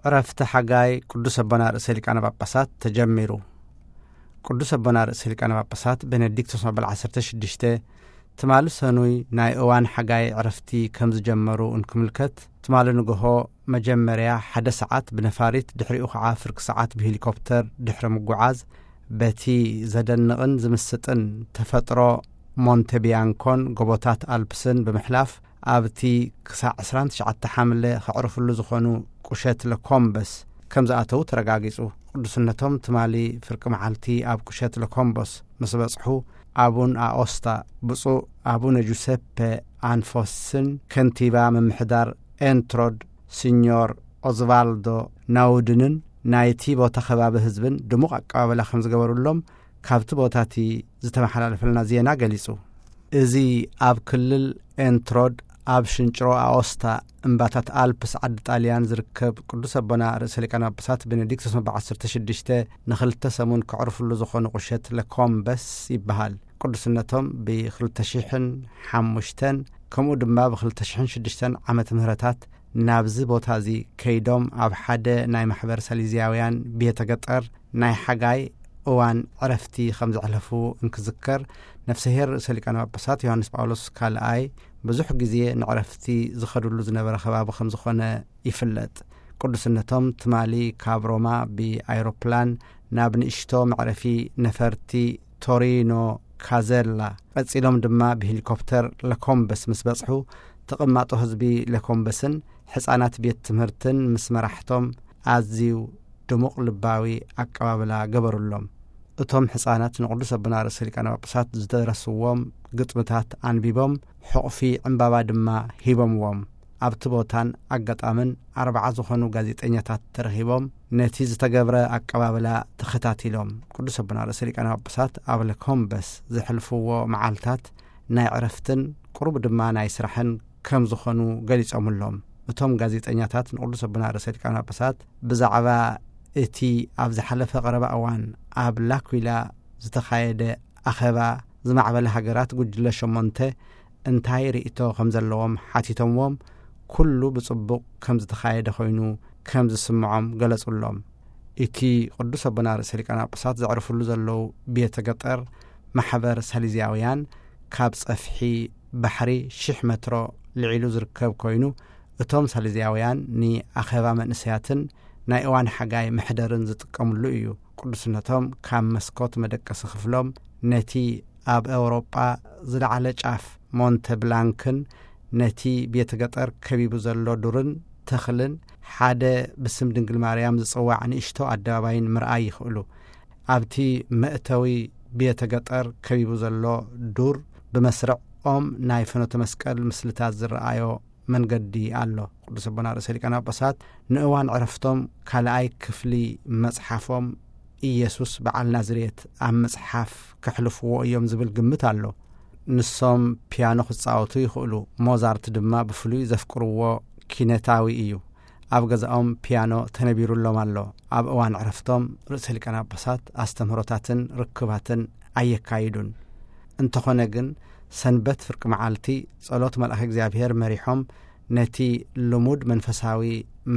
ዕረፍቲ ሓጋይ ቅዱስ ኣቦና ርእሰ ሊቃነ ጳጳሳት ተጀሚሩ። ቅዱስ ኣቦና ርእሰ ሊቃነ ጳጳሳት ቤኔዲክቶስ መበል ዓሰርተ ሽዱሽተ ትማሊ ሰኑይ ናይ እዋን ሓጋይ ዕረፍቲ ከም ዝጀመሩ እንክምልከት፣ ትማሊ ንግሆ መጀመርያ ሓደ ሰዓት ብነፋሪት፣ ድሕሪኡ ኸዓ ፍርቂ ሰዓት ብሄሊኮፕተር ድሕሪ ምጉዓዝ፣ በቲ ዘደንቕን ዝምስጥን ተፈጥሮ ሞንቴ ቢያንኮን ጎቦታት ኣልፕስን ብምሕላፍ፣ ኣብቲ ክሳዕ ዕስራን ትሽዓተ ሓምለ ከዕርፍሉ ዝኾኑ ቁሸት ለኮምበስ ከም ዝኣተዉ ተረጋጊጹ። ቅዱስነቶም ትማሊ ፍርቂ መዓልቲ ኣብ ቁሸት ለኮምቦስ ምስ በጽሑ፣ ኣቡን ኣኦስታ፣ ብፁዕ ኣቡነ ጁሰፔ ኣንፎስን ከንቲባ ምምሕዳር ኤንትሮድ ሲኞር ኦዝቫልዶ ናውድንን ናይቲ ቦታ ከባቢ ህዝብን ድሙቕ ኣቀባበላ ከም ዝገበሩሎም ካብቲ ቦታ እቲ ዝተመሓላለፈልና ዜና ገሊጹ። እዚ ኣብ ክልል ኤንትሮድ ኣብ ሽንጭሮ ኣኦስታ እምባታት ኣልፕስ ዓዲ ጣልያን ዝርከብ ቅዱስ ኣቦና ርእሰ ሊቃነ ጳጳሳት ቤኔዲክቶስ መበል ዓሰርተ ሽዱሽተ ንኽልተ ሰሙን ከዕርፍሉ ዝኾኑ ቁሸት ለኮምበስ ይበሃል። ቅዱስነቶም ብኽልተ ሽሕን ሓሙሽተን ከምኡ ድማ ብኽልተ ሽሕን ሽዱሽተን ዓመተ ምህረታት ናብዚ ቦታ እዚ ከይዶም ኣብ ሓደ ናይ ማሕበር ሳሊዝያውያን ቤተ ገጠር ናይ ሓጋይ እዋን ዕረፍቲ ከም ዘዕለፉ እንክዝከር፣ ነፍሰሄር ርእሰ ሊቃነ ጳጳሳት ዮሃንስ ጳውሎስ ካልኣይ ብዙሕ ግዜ ንዕረፍቲ ዝኸድሉ ዝነበረ ከባቢ ከም ዝኾነ ይፍለጥ። ቅዱስነቶም ትማሊ ካብ ሮማ ብኣይሮፕላን ናብ ንእሽቶ መዕረፊ ነፈርቲ ቶሪኖ ካዘላ፣ ቀጺሎም ድማ ብሄሊኮፕተር ለኮምበስ ምስ በጽሑ፣ ተቐማጦ ህዝቢ ለኮምበስን ሕጻናት ቤት ትምህርትን ምስ መራሕቶም ኣዝዩ ድሙቕ ልባዊ ኣቀባብላ ገበሩሎም። እቶም ሕጻናት ንቅዱስ ኣቦና ርእሰ ሊቃነ ጳጳሳት ዝደረስዎም ግጥምታት ኣንቢቦም፣ ሕቑፊ ዕምባባ ድማ ሂቦምዎም። ኣብቲ ቦታን ኣጋጣምን ኣርባዓ ዝኾኑ ጋዜጠኛታት ተረኺቦም፣ ነቲ ዝተገብረ ኣቀባብላ ተኸታቲሎም። ቅዱስ ኣቦና ርእሰ ሊቃነ ጳጳሳት ኣብ ለኮምበስ ዘሕልፍዎ መዓልታት ናይ ዕረፍትን ቁሩብ ድማ ናይ ስራሕን ከም ዝኾኑ ገሊጾምሎም። እቶም ጋዜጠኛታት ንቅዱስ ኣቦና ርእሰ ሊቃነ ጳጳሳት ብዛዕባ እቲ ኣብ ዝሓለፈ ቀረባ እዋን ኣብ ላኩላ ዝተኻየደ ኣኼባ ዝማዕበለ ሃገራት ጉጅለ ሸሞንተ እንታይ ርእይቶ ከም ዘለዎም ሓቲቶምዎም፣ ኩሉ ብጽቡቕ ከም ዝተኻየደ ኮይኑ ከም ዝስምዖም ገለጹሎም። እቲ ቅዱስ ኣቦና ርእሰ ሊቃነ ጳጳሳት ዘዕርፍሉ ዘለዉ ቤተ ገጠር ማሕበር ሳሊዝያውያን ካብ ጸፍሒ ባሕሪ ሽሕ መትሮ ልዒሉ ዝርከብ ኮይኑ፣ እቶም ሳሊዝያውያን ንኣኼባ መንእሰያትን ናይ እዋን ሓጋይ መሕደርን ዝጥቀምሉ እዩ። ቅዱስነቶም ካብ መስኮት መደቀሲ ክፍሎም ነቲ ኣብ ኤውሮጳ ዝለዓለ ጫፍ ሞንተ ብላንክን ነቲ ቤተ ገጠር ከቢቡ ዘሎ ዱርን ተኽልን ሓደ ብስም ድንግል ማርያም ዝጽዋዕ ንእሽቶ ኣደባባይን ምርኣይ ይኽእሉ። ኣብቲ መእተዊ ቤተ ገጠር ከቢቡ ዘሎ ዱር ብመስርዕ ኦም ናይ ፍኖተ መስቀል ምስልታት ዝረኣዮ መንገዲ ኣሎ። ቅዱስ ኣቦና ርእሰ ሊቃነ ጳጳሳት ንእዋን ዕረፍቶም ካልኣይ ክፍሊ መጽሓፎም ኢየሱስ በዓል ናዝሬት ኣብ ምጽሓፍ ከሕልፍዎ እዮም ዝብል ግምት ኣሎ። ንሶም ፒያኖ ክጻወቱ ይኽእሉ። ሞዛርት ድማ ብፍሉይ ዘፍቅርዎ ኪነታዊ እዩ። ኣብ ገዛኦም ፒያኖ ተነቢሩሎም ኣሎ። ኣብ እዋን ዕረፍቶም ርእሰ ሊቃነ ጳጳሳት ኣስተምህሮታትን ርክባትን ኣየካይዱን። እንተኾነ ግን ሰንበት ፍርቂ መዓልቲ ጸሎት መልኣከ እግዚኣብሔር መሪሖም ነቲ ልሙድ መንፈሳዊ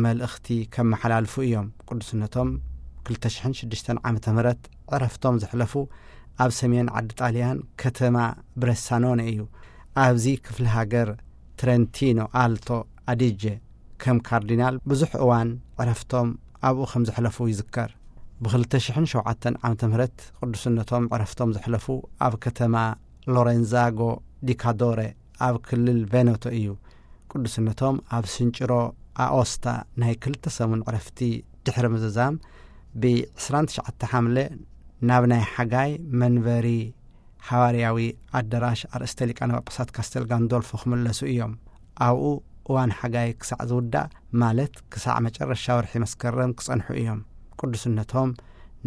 መልእኽቲ ከመሓላልፉ እዮም። ቅዱስነቶም ክልተ ሽሕን ሽዱሽተን ዓመተ ምህረት ዕረፍቶም ዘሕለፉ ኣብ ሰሜን ዓዲ ጣልያን ከተማ ብረሳኖነ እዩ። ኣብዚ ክፍሊ ሃገር ትረንቲኖ ኣልቶ ኣዲጀ ከም ካርዲናል ብዙሕ እዋን ዕረፍቶም ኣብኡ ከም ዘሕለፉ ይዝከር። ብ ክልተ ሽሕን ሸውዓተን ዓመተ ምህረት ቅዱስነቶም ዕረፍቶም ዘሕለፉ ኣብ ከተማ ሎሬንዛጎ ዲካዶረ ኣብ ክልል ቬነቶ እዩ። ቅዱስነቶም ኣብ ስንጭሮ ኣኦስታ ናይ ክልተ ሰሙን ዕረፍቲ ድሕሪ ምዝዛም፣ ብ ዕስራን ትሽዓተ ሓምለ ናብ ናይ ሓጋይ መንበሪ ሃዋርያዊ ኣደራሽ ኣርእስተ ሊቃነ ጳጳሳት ካስተል ጋንዶልፎ ክምለሱ እዮም። ኣብኡ እዋን ሓጋይ ክሳዕ ዝውዳእ፣ ማለት ክሳዕ መጨረሻ ወርሒ መስከረም ክጸንሑ እዮም። ቅዱስነቶም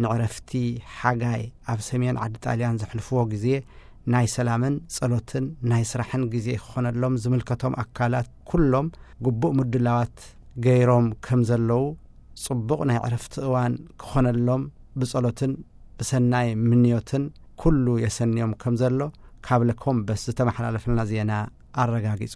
ንዕረፍቲ ሓጋይ ኣብ ሰሜን ዓዲ ጣልያን ዘሕልፍዎ ግዜ ናይ ሰላምን ጸሎትን ናይ ስራሕን ግዜ ክኾነሎም ዝምልከቶም ኣካላት ኩሎም ግቡእ ምድላዋት ገይሮም ከም ዘለዉ፣ ጽቡቕ ናይ ዕረፍቲ እዋን ክኾነሎም ብጸሎትን ብሰናይ ምንዮትን ኩሉ የሰንዮም ከም ዘሎ ካብ ለኮምበስ ዝተመሓላለፈልና ዜና ኣረጋጊጹ።